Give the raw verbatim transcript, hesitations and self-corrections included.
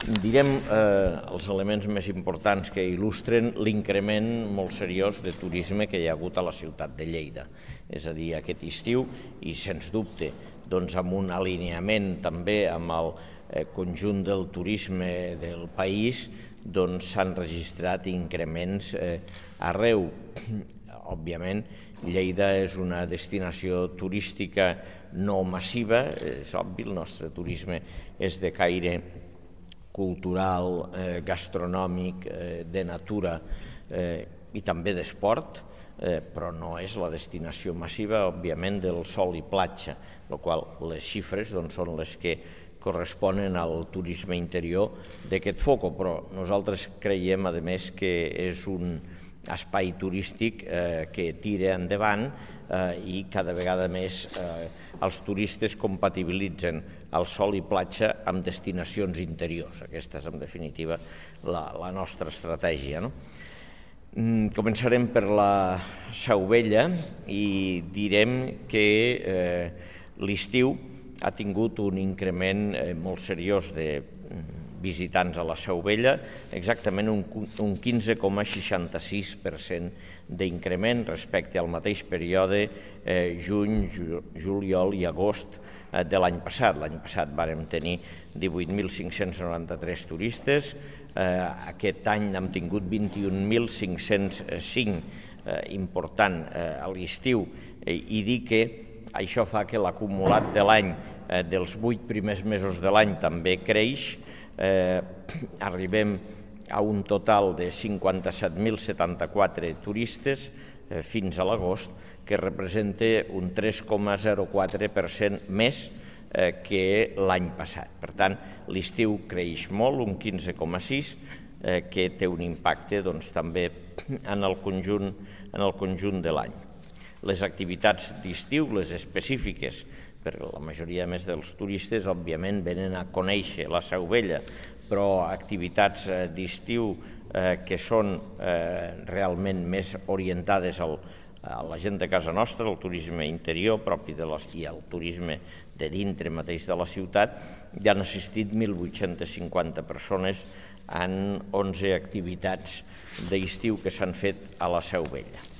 direm eh, els elements més importants que il·lustren l'increment molt seriós de turisme que hi ha hagut a la ciutat de Lleida. És a dir, aquest estiu, i sens dubte, doncs amb un alineament també amb el eh, conjunt del turisme del país, doncs s'han registrat increments eh, arreu. Òbviament, Lleida és una destinació turística no massiva, és obvi, el nostre turisme és de caire cultural, eh, gastronòmic, eh, de natura eh, i també d'esport, eh, però no és la destinació massiva, òbviament, del sol i platja, la qual les xifres doncs, són les que corresponen al turisme interior d'aquest foco, però nosaltres creiem, a més, que és un espai turístic eh, que tira endavant eh, i cada vegada més eh, els turistes compatibilitzen el sol i platja amb destinacions interiors. Aquesta és, en definitiva, la, la nostra estratègia, no? Mm, començarem per la Seu Vella i direm que eh, l'estiu ha tingut un increment eh, molt seriós de visitants a la Seu Vella, exactament un, un quinze coma seixanta-sis per cent d'increment respecte al mateix període eh, juny, ju, juliol i agost eh, de l'any passat. L'any passat vàrem tenir divuit mil cinc-cents noranta-tres turistes, eh, aquest any hem tingut vint-i-un mil cinc-cents cinc, eh, important eh, a l'estiu, eh, i dir que això fa que l'acumulat de l'any, eh, dels vuit primers mesos de l'any també creix. Eh, arribem a un total de cinquanta-set mil setanta-quatre turistes eh, fins a l'agost, que representa un tres coma zero quatre per cent més eh, que l'any passat. Per tant, l'estiu creix molt, un quinze coma sis, eh, que té un impacte doncs, també en el conjunt, en el conjunt de l'any. Les activitats d'estiu, les específiques, perquè la majoria més dels turistes, òbviament, venen a conèixer la Seu Vella, però activitats d'estiu eh, que són eh, realment més orientades al, a la gent de casa nostra, al turisme interior propi de les, i al turisme de dintre mateix de la ciutat, hi han assistit mil vuit-cents cinquanta persones en onze activitats d'estiu que s'han fet a la Seu Vella.